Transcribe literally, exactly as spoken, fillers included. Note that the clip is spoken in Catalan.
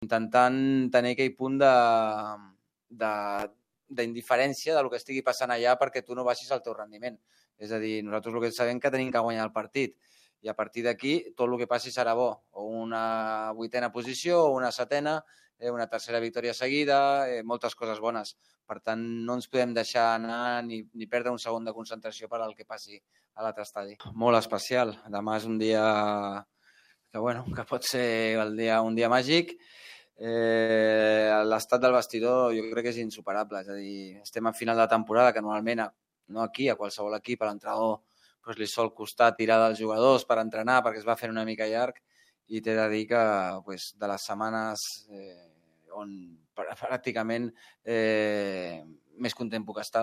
intentant tenir aquell punt de, de, d'indiferència del que estigui passant allà perquè tu no baixis el teu rendiment. És a dir, nosaltres el que sabem que tenim que guanyar el partit i a partir d'aquí tot el que passi serà bo, o una vuitena posició o una setena, una tercera victòria seguida, moltes coses bones. Per tant, no ens podem deixar anar ni, ni perdre un segon de concentració per al que passi a l'altre estadi. Molt especial. Demà és un dia que, bueno, que pot ser el dia, un dia màgic. Eh, l'estat del vestidor jo crec que és insuperable. És a dir, estem a final de temporada, que normalment, no aquí, a qualsevol equip, a l'entrenador doncs li sol costar tirar dels jugadors per entrenar perquè es va fent una mica llarg i t'he de dir que pues, de les setmanes eh, on pràcticament eh, més content puc estar